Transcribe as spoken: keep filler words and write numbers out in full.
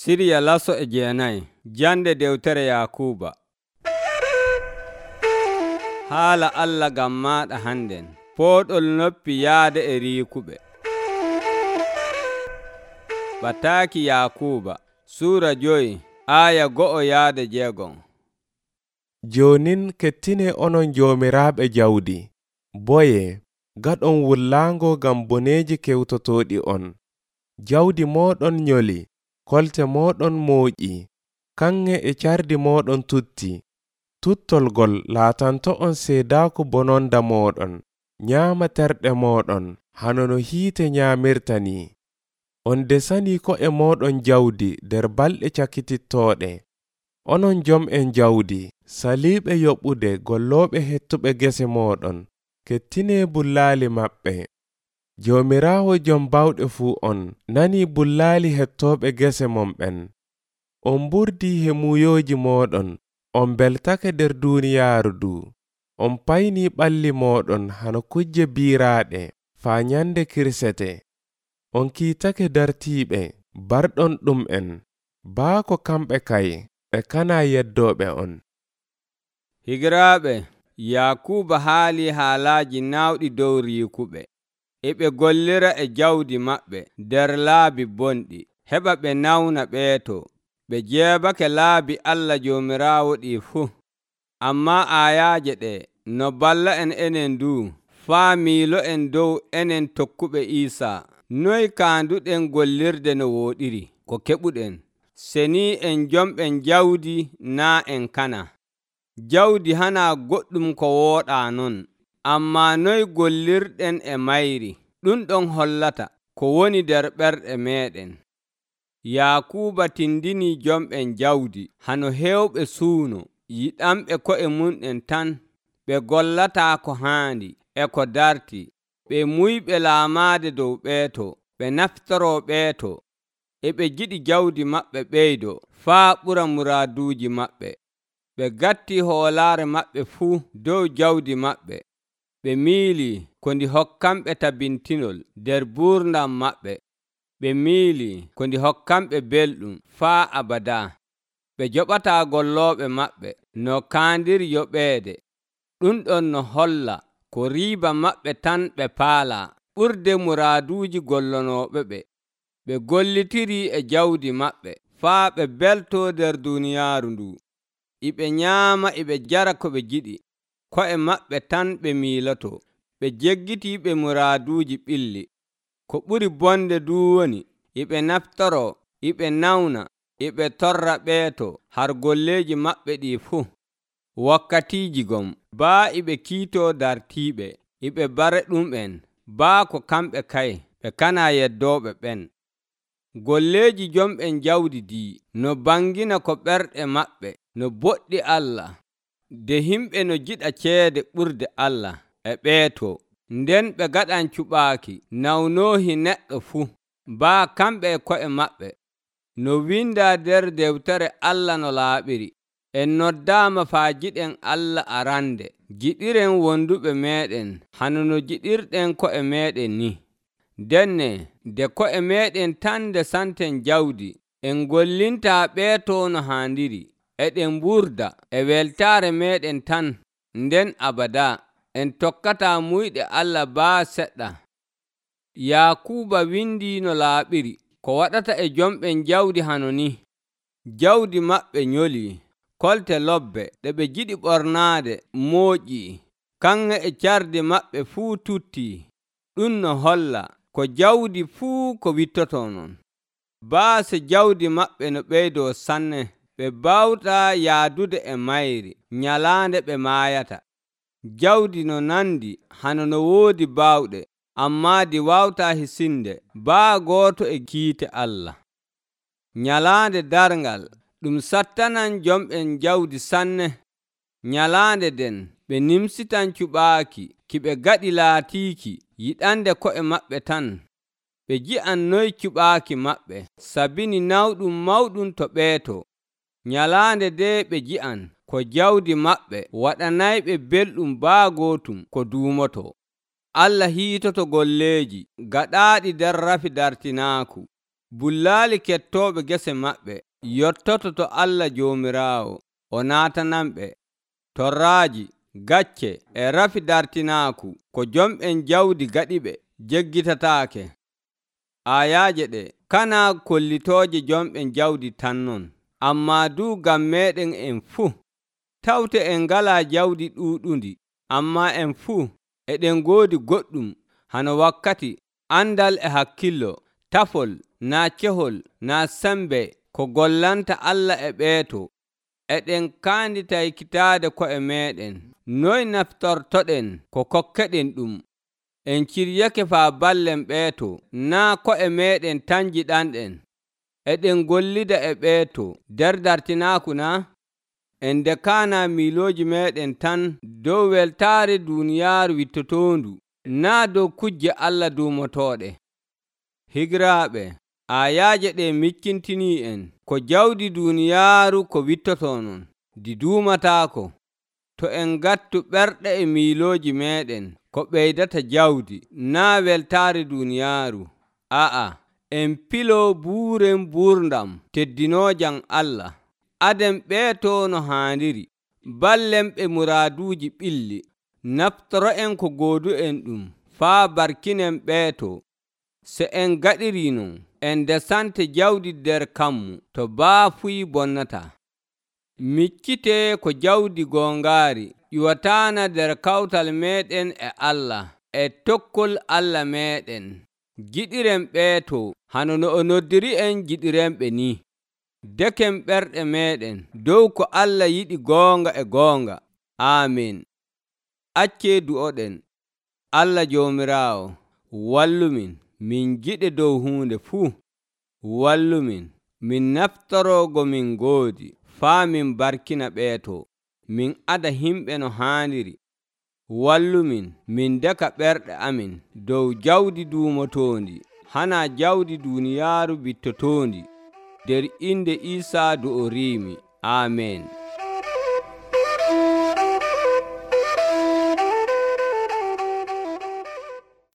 Siriya laso e jeenayi. Jande dewtere Yakuuba. Haala Allah ngam maaɗa hannden. Pooɗol noppi yaade e riikuɓe. Bataaki Yakuuba Suura joyi aaya go'o yaade jeegon. Jonin kettine onon joomiraaɓe jawdi, boye gaɗon wullaango ngam boneeji kewtotooɗi on. Jawdi mooɗon nyoli, kolte mooɗon mooƴi, kanŋe e cardi mooɗon tutti. Tuttolgol laatanto'on seedaaku bononda mooɗon, nyaama terɗe mooɗon hano no hiite nyaamirta ni. On desanii ko'e mooɗon jawdi nder balɗe cakitittooɗe. Onon jom'en jawdi, saliiɓe yoɓude gollooɓe hettuɓe gese mooɗon, kettinee bullaali maɓɓe. Joomiraawo jom bawɗe fuu on nanii bullaali hettooɓe gese mon ɓen. On mburdii hemuyooji mooɗon, on beltake nder duuniyaaru ndu. On paynii ɓalli mooɗon hano kujje biiraaɗe faa nyande kirsete. On kiitake dartiiɓe, barɗon ɗum'en, baako kamɓe kay ɓe kanaa yeddooɓe on. Higiraaɓe, Yakuuba haalii haalaaji naawɗi dow riikuɓe. E ɓe gollira e jawdi maɓɓe nder laabi bonɗi, heɓa ɓe nawna ɓeeto. Ɓe jeebake laabi Allah Joomiraawo ɗii fuu. Ammaa aayaaje ɗe no balla en enen nduu faa miilo'en dow enen tokkuɓe Iisaa. Noy kaanduɗen gollirde no wooɗiri ko keɓuɗen, senii en jomɓen jawdi naa en kana. Jawdi hanaa goɗɗum ko wooɗaa non, ammaa noy gollirɗen e mayri, ɗum ɗon hollata ko woni nder ɓerɗe meeɗen. Yakuuba tindinii jomɓen jawdi hano heewɓe suuno, yiɗanɓe ko'e mun'en tan, ɓe gollataa ko haandi e ko darti, ɓe muyɓe laamaade dow ɓeeto, ɓe naftoroo ɓeeto, e ɓe giɗi jawdi maɓɓe ɓeydo faa ɓura muraaduuji maɓɓe. Ɓe gatti hoolaare maɓɓe fuu dow jawdi maɓɓe. Ɓe miilii ko ndi hokkamɓe tabintinol nder buurdam maɓɓe. Ɓe miilii ko ndi hokkamɓe belɗum faa abadaa. Ɓe joɓataa gollooɓe maɓɓe no kaandiri yoɓeede. Ɗum ɗon no holla ko riiba maɓɓe tan ɓe paalaa ɓurde muraaduuji gollonooɓe ɓe. Ɓe gollitirii e jawdi maɓɓe faa ɓe beltoo nder duuniyaaru ndu. Iɓe nyaama iɓe jara ko ɓe jiɗi, ko'e maɓɓe tan ɓe miilotoo. Ɓe jeggitii ɓe muraaduuji ɓilli. Ko ɓuri bonde duu woni, iɓe naftoroo, iɓe nawna, iɓe torra ɓeeto har golleeji maɓɓe ɗii fuu. Wakkatiiji gom, baa iɓe kiitoo dartiiɓe, iɓe bare ɗum'en, baa ko kamɓe kay ɓe kanaa yeddooɓe ɓen. Golleeji jomɓen jawdi dii no bangina ko ɓerɗe maɓɓe no boɗɗi Allah. De himɓe no jiɗa ceede ɓurde Allah e ɓeeto, nden ɓe gaɗan cuɓaaki nawnoohi neɗɗo fuu, baa kamɓe e ko'e maɓɓe. No windaa nder dewtere Allah no laaɓiri, en noddaama faa jiɗen Allah arande, jiɗiren wonduɓe meeɗen hano no jiɗirɗen ko'e meeɗen ni. Denne nde ko'e meeɗen tan ndesanten jawdi, en gollintaa ɓeeto no haandiri, eɗen mburda e weltaare meeɗen tan, nden abadaa en tokkataa muyɗe Allah baa seɗɗa. Yakuuba windii no laaɓiri ko waɗata e jomɓen jawdi hano ni. Jawdi maɓɓe nyolii, kolte lobbe ɗe ɓe jiɗi ɓornaade mooƴii, kanŋe e cardi maɓɓe fuu tuttii. Ɗum no holla ko jawdi fuu ko wittotoo non. Baase jawdi maɓɓe no ɓeydoo sanne, ɓe baawtaa yaadude e mayri nyalaande ɓe maayata. Jawdi no nandi hano no woodi baawɗe, ammaa di waawtaa hisinde baa gooto e kiite Allah. Nyalaande darngal ɗum sattanan jomɓen jawdi sanne. Nyalaande den ɓe nimsitan cuɓaaki ki ɓe gaɗi laatiiki yiɗande ko'e maɓɓe tan. Ɓe ji'an noy cuɓaaki maɓɓe sabini nawɗum mawɗum to ɓeeto. Nyalaande de ɓe ji'an ko jawdi maɓɓe waɗanayɓe belɗum baa gootum ko duumoto. Allah hiitoto golleeji gaɗaaɗi nder rafi dartinaaku. bullaali kettooɓe gese maɓɓe yottoto to Allah Joomiraawo o naatananɓe. Torraaji, gacce e rafi dartinaaku ko jomɓen jawdi gaɗiɓe jeggitataake. Ayaaje ɗe kanaa kollitooje jomɓen jawdi tan non, ammaa duu ngam meeɗen en fuu. Tawte en ngalaa jawdi ɗuuɗundi, ammaa en fuu eɗen ngoodi goɗɗum hano wakkati, andal e hakkillo, tafol, naa cehol, naa sembe ko gollanta Allah e ɓeeto. Eɗen kaandita ekkitaade ko'e meeɗen, noy naftortoɗen ko kokkeɗen ɗum. En ciryake faa ballen ɓeeto, naa ko'e meeɗen tan njiɗanɗen. Eɗen gollida e ɓeeto nder dartinaaku naa? En ndekaanaa miilooji meeɗen tan dow weltaare duuniyaaru wittotoondu, naa dow kujje Allah duumotooɗe. Higiraaɓe, ayaaje ɗe miccintinii en ko jawdi duuniyaaru ko wittotoo non, ndi duumataako. To en ngattu ɓerɗe e miilooji meeɗen ko ɓeydata jawdi, naa weltaare duuniyaaru. A'a, en piloo buuren buurdam teddinoojam Allah. Aden ɓeetoo no haandiri, ballen ɓe muraaduuji ɓilli. Naftoro'en ko goodu'en ɗum faa barkinen ɓeeto. Se en gaɗirii non, en ndesante jawdi nder kammu to baafuy bonnata. Miccitee ko jawdi goongaari ƴiwataana nder kawtal meeɗen e Allah e tokkol Allah meeɗen. Giɗiren ɓeeto hano no o noddiri en giɗirenɓe ni. Deken ɓerɗe meeɗen dow ko Allah yiɗi goonga e goonga. Aamin. Accee du'oɗen. Allah Joomiraawo, wallumin min giɗe dow huunde fuu. Wallumin min naftoroogo min ngoodi faa min barkina ɓeeto, min ada himɓe no haaniri. Wallumin min deka ɓerɗe amin dow jawdi duumotoondi, hana jawdi duuniyaaru bittotoondi. Der inde Iisaa do o riimi. Aamen.